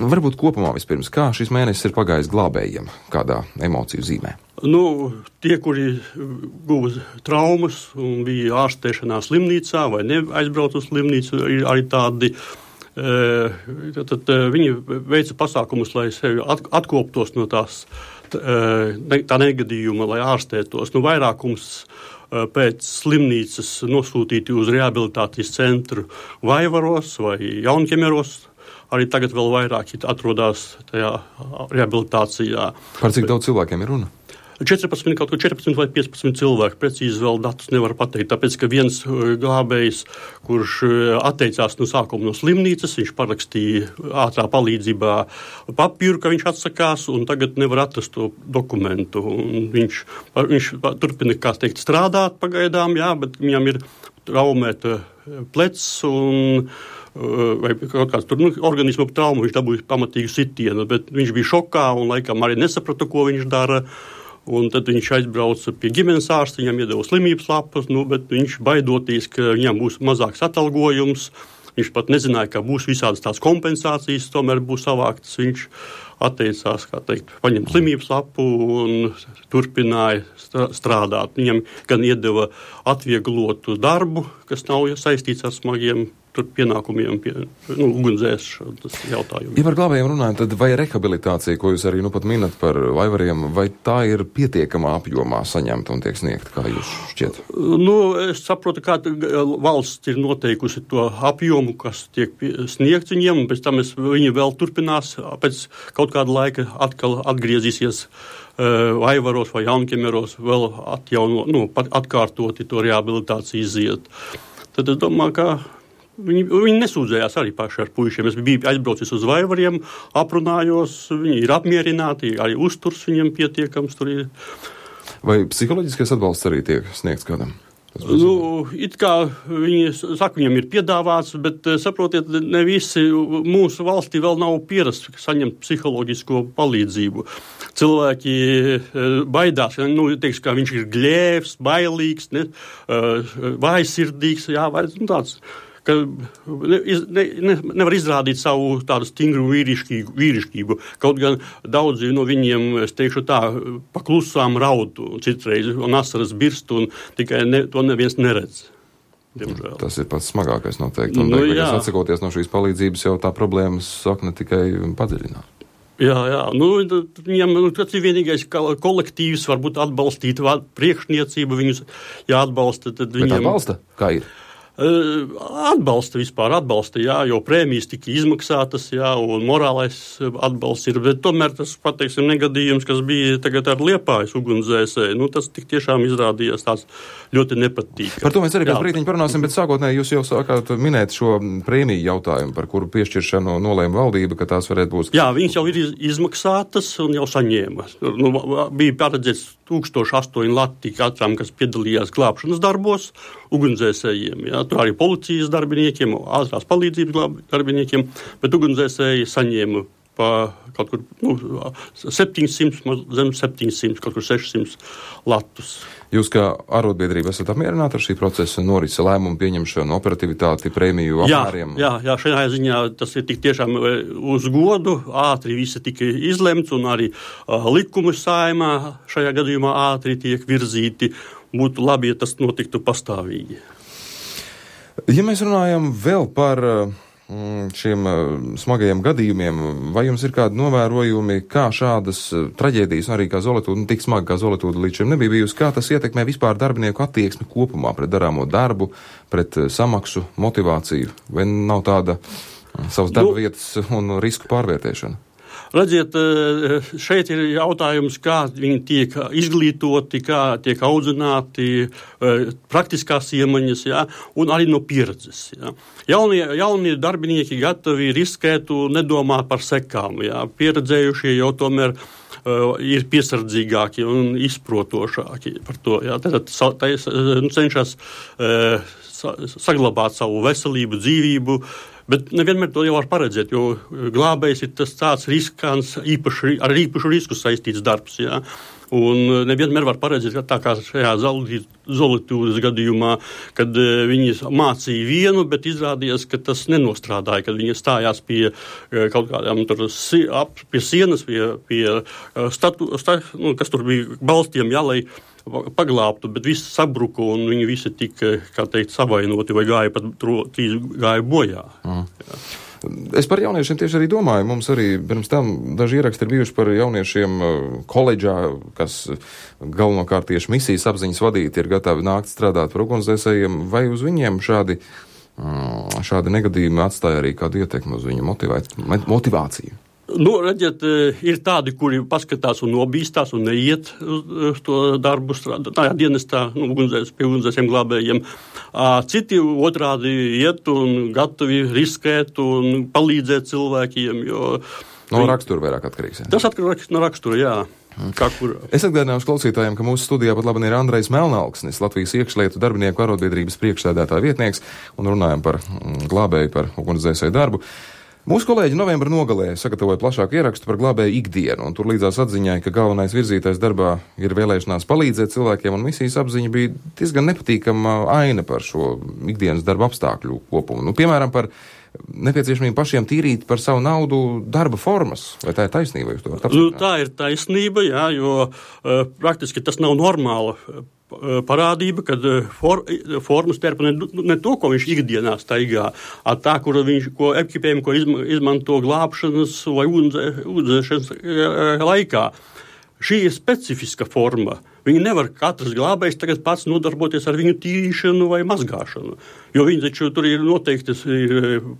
Varbūt kopumā vispirms, kā šis mēnesis ir pagājis glābējiem, kādā emociju zīmē? Tie, kuri guva traumas un bija ārstēšanā slimnīcā vai neaizbrauc uz slimnīcu, ir arī tādi. Tad viņi veica pasākumus, lai sevi atkoptos no tā negadījuma, lai ārstētos. Vairākums pēc slimnīcas nosūtīti uz rehabilitācijas centru Vaivaros vai Jaunķemeros. Arī tagad vēl vairāki atrodas tajā rehabilitācijā. Par cik daudz cilvēkiem ir runa? 14 vai 15 cilvēki, precīzi vēl datus nevar pateikt, tāpēc, ka viens glābējs, kurš atteicās no sākuma no slimnīcas, viņš parakstīja ātrā palīdzībā papīru, ka viņš atsakās, un tagad nevar atrast to dokumentu. Un viņš turpina, kā teikt, strādāt pagaidām, jā, bet viņam ir traumēta plecs un vai kaut kāds organisma trauma, viņš dabūja pamatīgu sitienu, bet viņš bija šokā un laikam arī nesaprata, ko viņš dara. Un tad viņš aizbrauca pie ģimenes ārsta, viņam iedeva slimības lapas, bet viņš baidoties, ka viņam būs mazāks atalgojums. Viņš pat nezināja, ka būs visādas tās kompensācijas, tomēr būs savāktas. Viņš atteicās, kā teikt, paņemt slimības lapu un turpināja strādāt. Viņam gan iedeva atvieglotu darbu, kas nav saistīts ar smagiem pienākumiem, ugunsdzēsšanas jautājumiem. Ja par glābējiem runājam, tad vai rehabilitācija, ko jūs arī pat minat par Vaivariem, vai tā ir pietiekamā apjomā saņemta un tiek sniegta, kā jūs šķiet? Es saprotu, kā valsts ir noteikusi to apjomu, kas tiek sniegts viņiem, un pēc tam viņi vēl turpinās, pēc kaut kāda laika atkal atgriezīsies Vaivaros vai Jaunķemeros, vēl atkārtoti to rehabilitāciju iziet. Tad es domāju, ka viņi nesūdzējās arī paši ar puišiem. Es biju aizbraucis uz Vaivariem, aprunājos, viņi ir apmierināti, arī uzturs viņiem pietiekams tur ir. Vai psiholoģiskais atbalsts arī tiek sniegts kādam? It kā viņi saka, viņam ir piedāvāts, bet saprotiet, ne visi mūsu valstī vēl nav pierasts saņemt psiholoģisko palīdzību. Cilvēki baidās, teiks, ka viņš ir gļēvs, bailīgs, vājsirdīgs, vai tāds. Ka nevar izrādīt savu tādu stingru vīrišķību. Kaut gan daudzi no viņiem, es teikšu tā, paklusām raud citreiz, un asaras birst, un tikai to neviens neredz. Diemžēl. Tas ir pats smagākais noteikti. Un beigās atsakoties no šīs palīdzības, jau tā problēmas sakne tikai padziļināt. Jā. Viņam tas ir vienīgais kolektīvs, varbūt atbalstīt priekšniecību, viņus jāatbalsta. Tad viņam... Bet atbalsta? Kā ir? Atbalsta, jā, jo prēmijas tika izmaksātas, jā, un morālais atbalsts ir, bet tomēr tas, pateiksim, negadījums, kas bija tagad ar Liepājas ugunsdzēsēju, tas tik tiešām izrādījās tāds ļoti nepatīkams. Par to mēs arī pēc brīdiņa parunāsim, bet sākotnēji jūs jau sākāt minēt šo prēmiju jautājumu, par kuru piešķiršanu nolēma valdība, ka tās varētu būt. Jā, viņas jau ir izmaksātas un jau saņēma. Bija paredzēts 1008 lati katram, kas piedalījās glābšanas darbos, ugunsdzēsējiem, jā. Tur arī policijas darbiniekiem, ātrās palīdzības darbiniekiem, bet ugunsdzēsēji saņēma pa kaut kur 700, zem 700, kaut kur 600 latus. Jūs kā arotbiedrība esat apmierināti ar šī procesa norisi, lēmumu pieņemšanu, operativitāti, prēmiju apmēriem? Jā, šajā ziņā tas ir tik tiešām uz godu, ātri visi tika izlemts un arī likumi Saeimā šajā gadījumā ātri tiek virzīti. Būtu labi, ja tas notiktu pastāvīgi. Ja mēs runājam vēl par šiem smagajiem gadījumiem, vai jums ir kādi novērojumi, kā šādas traģēdijas, arī kā Zoletūda, tik smagi kā Zoletūda līdz šim nebija bijusi, kā tas ietekmē vispār darbinieku attieksmi kopumā pret darāmo darbu, pret samaksu, motivāciju, vai nav tāda savas darba vietas un risku pārvērtēšana? Redziet, šeit ir jautājums, kā viņi tiek izglītoti, kā tiek audzināti, praktiskās iemaņas, jā, un arī no pieredzes. Jā. Jaunie darbinieki gatavi riskēt un nedomāt par sekām. Jā. Pieredzējušie jau tomēr ir piesardzīgāki un izprotošāki par to. Jā. Tad cenšas saglabāt savu veselību, dzīvību, bet nevienmēr to jau var paredzēt, jo glābējs ir tas tāds riskants, ar īpašu risku saistīts darbs, jā. Un nevienmēr var paredzēt, ka tā kā šajā Zolitūdas gadījumā, kad viņi mācīja vienu, bet izrādījās, ka tas nenostrādāja, kad viņi stājās pie kaut kādām tur pie sienas, kas tur bija balstiem, lai paglābtu, bet viss sabruka un viņi visi tika, kā teikt, savainoti vai gāja bojā. Es par jauniešiem tieši arī domāju. Mums arī pirms tam daži ieraksti ir bijuši par jauniešiem koledžā, kas galvenokārt tieši misijas apziņas vadīti ir gatavi nākt strādāt par ugunsdzēsējiem. Vai uz viņiem šādi negadījumi atstāja arī kādu ietekmi uz viņu motivāciju? Redziet, ir tādi, kuri paskatās un nobīstās un neiet uz to darbu strādāt, dienestā, pie ugunsdzēsējiem glābējiem. Citi otrādi iet un gatavi riskēt un palīdzēt cilvēkiem, jo... No rakstura vairāk atkarīgs, jā? Tas atkarīgs no rakstura, jā. Es atgādināšu klausītājiem, ka mūsu studijā pat labi ir Andrejs Melnalksnis, Latvijas iekšlietu darbinieku arotbiedrības priekšsēdētāja vietnieks, un runājam par glābēju, par ugunsdzēsēju darbu. Mūsu kolēģi novembra nogalē sagatavoja plašāku ierakstu par glābēju ikdienu, un tur līdzās atziņai, ka galvenais virzītais darbā ir vēlēšanās palīdzēt cilvēkiem, un misijas apziņa bija diezgan nepatīkama aina par šo ikdienas darba apstākļu kopumu. Piemēram, par nepieciešamību pašiem tīrīt par savu naudu darba formas. Vai tā ir taisnība? Tā ir taisnība, jā, jo praktiski tas nav normāla parādība, kad formas terpa ne to, ko viņš ikdienā staigā, tā, ko ekipējumu, ko izmanto glābšanas vai ugunsdzēšanas laikā. Šī ir specifiska forma. Viņi nevar katrs glābējs tagad pats nodarboties ar viņu tīrīšanu vai mazgāšanu, jo viņi taču tur ir noteiktas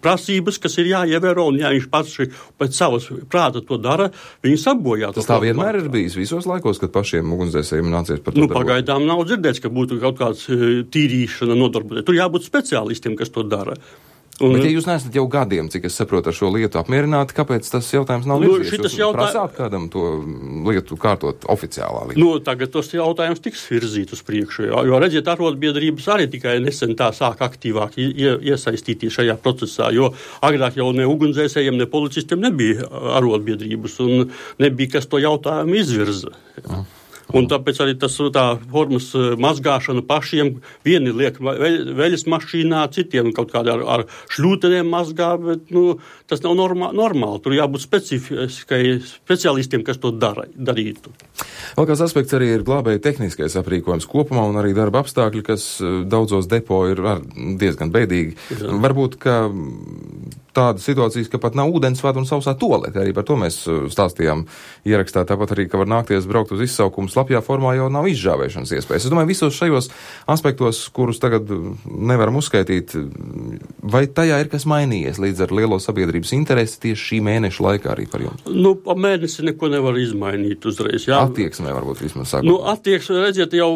prasības, kas ir jāievēro, un ja viņš pats pēc savas prāta to dara, viņi sabojā. Tas tā vienmēr ir bijis visos laikos, kad pašiem ugunsdzēsējiem nācies par to darboties? Pagaidām nav dzirdēts, ka būtu kaut kāds tīrīšana nodarboties. Tur jābūt speciālistiem, kas to dara. Bet, ja jūs neesat jau gadiem, cik es saprotu, ar šo lietu apmierināti, kāpēc tas jautājums nav virzīts? Jūs prasāt kādam to lietu kārtot oficiālā līmenī? Tagad tos jautājums tiks virzīt uz priekšu, jo redziet, arotbiedrības arī tikai nesen tā sāk aktīvāk iesaistīties šajā procesā, jo agrāk jau ne ugunsdzēsējiem, ne policistiem nebija arotbiedrības un nebija, kas to jautājumu izvirza. Un tāpēc arī tā formas mazgāšana pašiem, vieni liek veļas mašīnā, citiem kaut kādā ar šļūteniem mazgā, bet tas nav normāli. Tur jābūt speciālistiem, kas to darītu. Vēl kāds aspekts arī ir glābēja tehniskais aprīkojums kopumā un arī darba apstākļi, kas daudzos depo ir diezgan bēdīgi. Jā. Varbūt, ka tādas situācijas, ka pat nav ūdensvada un sausā tualete, arī par to mēs stāstījām ierakstā, tāpat arī, ka var nākties braukt uz izsaukumu slapjā formā, jau nav izžāvēšanas iespējas. Es domāju, visos šajos aspektos, kurus tagad nevaram uzskaitīt, vai tajā ir kas mainījies līdz ar lielo sabiedrības interesi tieši šī mēneša laikā arī par jums? Pa mēnesi neko nevar izmainīt uzreiz, jā. Attieksmē varbūt vismaz sākot. Attieksmē, redziet, jau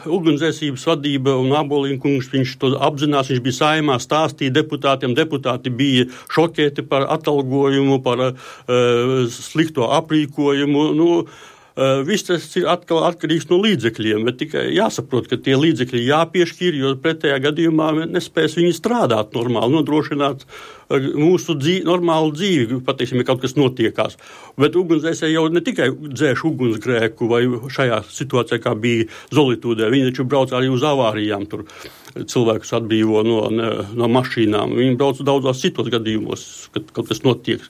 ugunsdzēsības vadība un Abolīnkungs, viņš to apzinās, viņš bija Saeimā, stāstīja deputātiem, deputāti bija šokēti par atalgojumu, par slikto aprīkojumu. Viss tas ir atkal atkarīgs no līdzekļiem, bet tikai jāsaprot, ka tie līdzekļi jāpiešķir, jo pretējā gadījumā nespēs viņi strādāt normāli, nodrošināt mūsu normālu dzīvi, pateiksim, ja kaut kas notiekās. Bet ugunsdzēsēji jau ne tikai dzēš ugunsgrēku vai šajā situācijā, kā bija Zolitūdē, viņi taču brauc arī uz avārijām, tur cilvēkus atbrīvo no mašīnām. Viņi brauc daudzos citos gadījumos, kad kaut kas notiek.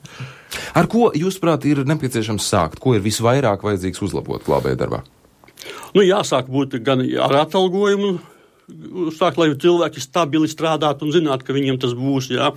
Ar ko, jūsuprāt, ir nepieciešams sākt? Ko ir visvairāk vajadzīgs uzlabot glābēja darbā? Jāsāk būt gan ar atalgojumu, sākt, lai cilvēki stabili strādātu un zinātu, ka viņiem tas būs, jā.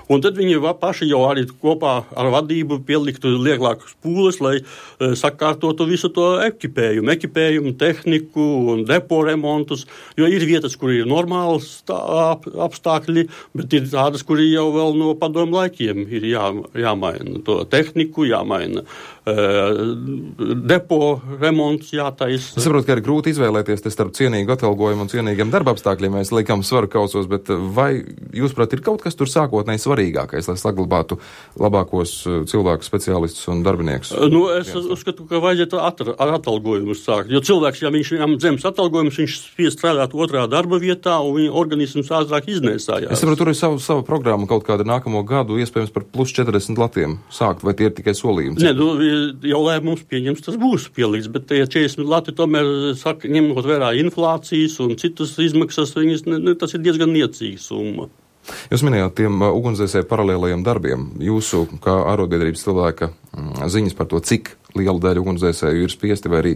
Un tad viņi paši jau arī kopā ar vadību pieliktu lielākus pūles, lai sakārtotu visu to ekipējumu, tehniku un depo remontus, jo ir vietas, kur ir normāls apstākļi, bet ir tādas, kur jau vēl no padomu laikiem ir jāmaina to tehniku, jāmaina depo remonts, jātaisa. Es saprotu, ka ir grūti izvēlēties starp cienīgu atalgojumu un cienīgiem darba darba apstākļiem mēs liekam svaru kausos, bet vai jūsuprāt ir kaut kas tur sākotnēji svarīgākais, lai saglabātu labākos cilvēku speciālistus un darbiniekus? Es uzskatu, ka vajadzētu ar atalgojumu sākt, jo cilvēks, ja viņam zemes atalgojums, viņš spiest strādāt otrā darba vietā un viņa organisms ātrāk iznēsājās. Es saprotu, tur ir sava programma kaut kāda nākamo gadu, iespējams par plus 40 latiem sākt, vai tie ir tikai solījumi? Nē, jau lēmums pieņems, tas būs pielikts, bet tie 40 lati tomēr saka, ņemot vērā inflācijas un citas izmaksas, tas ir diezgan niecīga summa. Jūs minējāt tiem ugunsdzēsēju paralēlajiem darbiem. Jūsu, kā arotbiedrības cilvēka, ziņas par to, cik liela daļa ugunsdzēsēju ir spiesti vai arī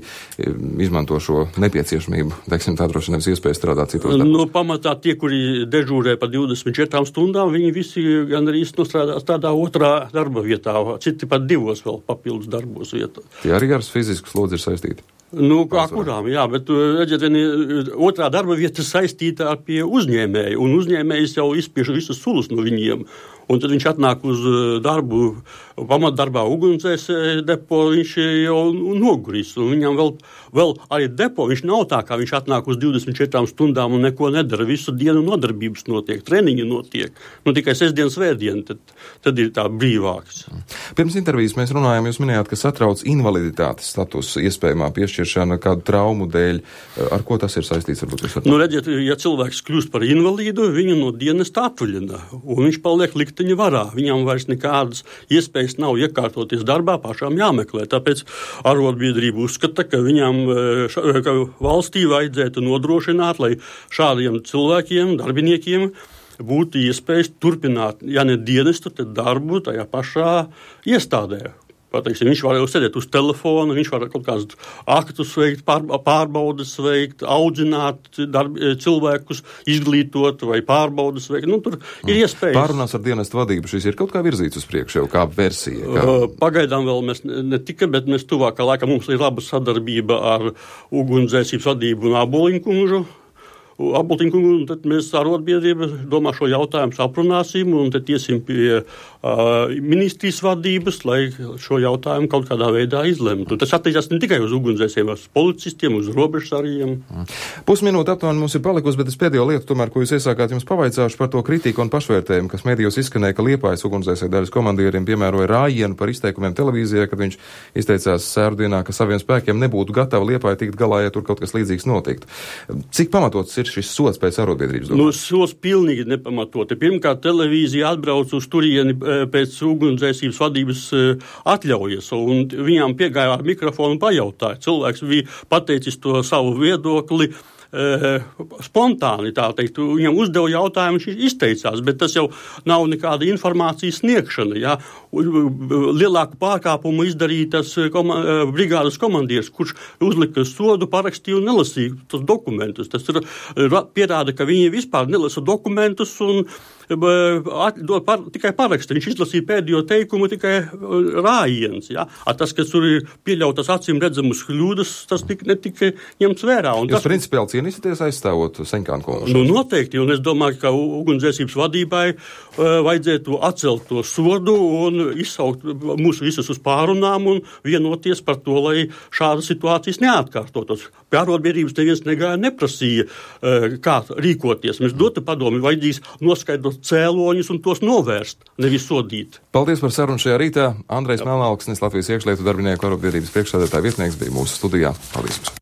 izmanto šo nepieciešamību, teiksim, tā droši nevis iespēju strādāt citos darbos? Pamatā tie, kuri dežūrē pa 24 stundām, viņi visi gan arī strādā otrā darba vietā, citi pat 2 vēl papildus darbos vietā. Tie arī ar fizisku slodzi ir saistīti? Kā kurām, jā, bet, redziet, otrā darba vieta saistīta ar pie uzņēmēju, un uzņēmējs jau izspiež visus sulus no viņiem. Un tad viņš atnāk uz darbu, pamatdarbā ugunsdzēsēju depo, viņš jau noguris. Un viņam vēl arī depo, viņš nav tā, kā viņš atnāk uz 24 stundām un neko nedara. Visu dienu nodarbības notiek, treniņi notiek. Tikai sestdien, svētdien, tad ir tā brīvāks. Pirms intervijas mēs runājām, jūs minējāt, ka satrauc invaliditātes status iespējamā piešķiršana kādu traumu dēļ. Ar ko tas ir saistīts? Varbūt, redziet, ja cilvēks kļūst par invalīdu, viņu no dienesta atvaļina, un viņš paliek likteņa varā. Viņam vairs nekādas iespējas nav iekārtoties darbā, pašām jāmeklē. Tāpēc arotbiedrība uzskata, ka ka valstī vajadzētu nodrošināt, lai šādiem cilvēkiem, darbiniekiem būtu iespējas turpināt, ja ne dienestu, tad darbu tajā pašā iestādē. Pateiksim, viņš var jau sēdēt uz telefona, viņš var kaut kādus aktus veikt, pārbaudas veikt, audzināt cilvēkus, izglītot vai pārbaudas veikt. Tur ir iespējas. Pārunās ar dienestu vadību šis ir kaut kā virzīts uz priekšu, jau kā versija? Pagaidām vēl mēs ne tikai, bet mēs tuvākā laikā mums ir laba sadarbība ar ugunsdzēsības vadību un Aboliņkungu. Un tad mēs arotbiedrība domā šo jautājumu aprunāsim un tad iesim pie ministrijas vadības, lai šo jautājumu kaut kādā veidā izlemtu. Tas attiecās ne tikai uz ugunsdzēsējiem, uz policistiem, uz robežsargiem. Pusminūte aptuveni mums ir palikusi, bet es pēdējo lietu tomēr, ko jūs iesākāt, jums pavaicāšu par to kritiku un pašvērtējumu, kas medijos izskanēja, ka Liepājas ugunsdzēsēju daļas komandieriem piemēroja rājienu par izteikumiem televīzijā, kad viņš izteicās sērdienā, ka saviem spēkiem nebūtu gatavi Liepāja tikt galā, ja tur kaut kas līdzīgs notiktu. Cik pamatots ir šis sots pēc arotbiedrības? Sots pilnīgi nepamatoti. Pirmkārt, televīzija atbrauc uz turieni pēc ugunsdzēsības vadības atļaujas, un viņām piegāja ar mikrofonu un pajautāja. Cilvēks bija pateicis to savu viedokli spontāni, tā teikt, viņam uzdeva jautājumu, viņš izteicās, bet tas jau nav nekāda informācijas sniegšana, jā. Lielāku pārkāpumu izdarītas brigādes komandieris, kurš uzlika sodu, parakstīja un nelasīja tos dokumentus. Tas pierāda, ka viņi vispār nelasa dokumentus un tikai paraksta. Viņš izlasīja pēdējo teikumu tikai rājiens, jā. Tas, kas tur ir pieļautas acīm redzamas kļūdas, tas netika ņemts vērā. Jūs principiāli cīnīsieties aizstāvot Seņkānu kungu? Noteikti, un es domāju, ka ugunsdzēsības vadībai vajadzētu atcelt to sodu un izsaukt mūs visus uz pārunām un vienoties par to, lai šādas situācijas neatkārtotos. Pie arotbiedrības neviens neprasīja, kā rīkoties. Mēs dotu padomi, vajadzīs noskaidrot cēloņus un tos novērst, nevis sodīt. Paldies par sarunu šajā rītā. Andrejs Melnalksnis, Latvijas iekšlietu darbinieku arotbiedrības priekšsēdētāja vietnieks, bija mūsu studijā. Paldies!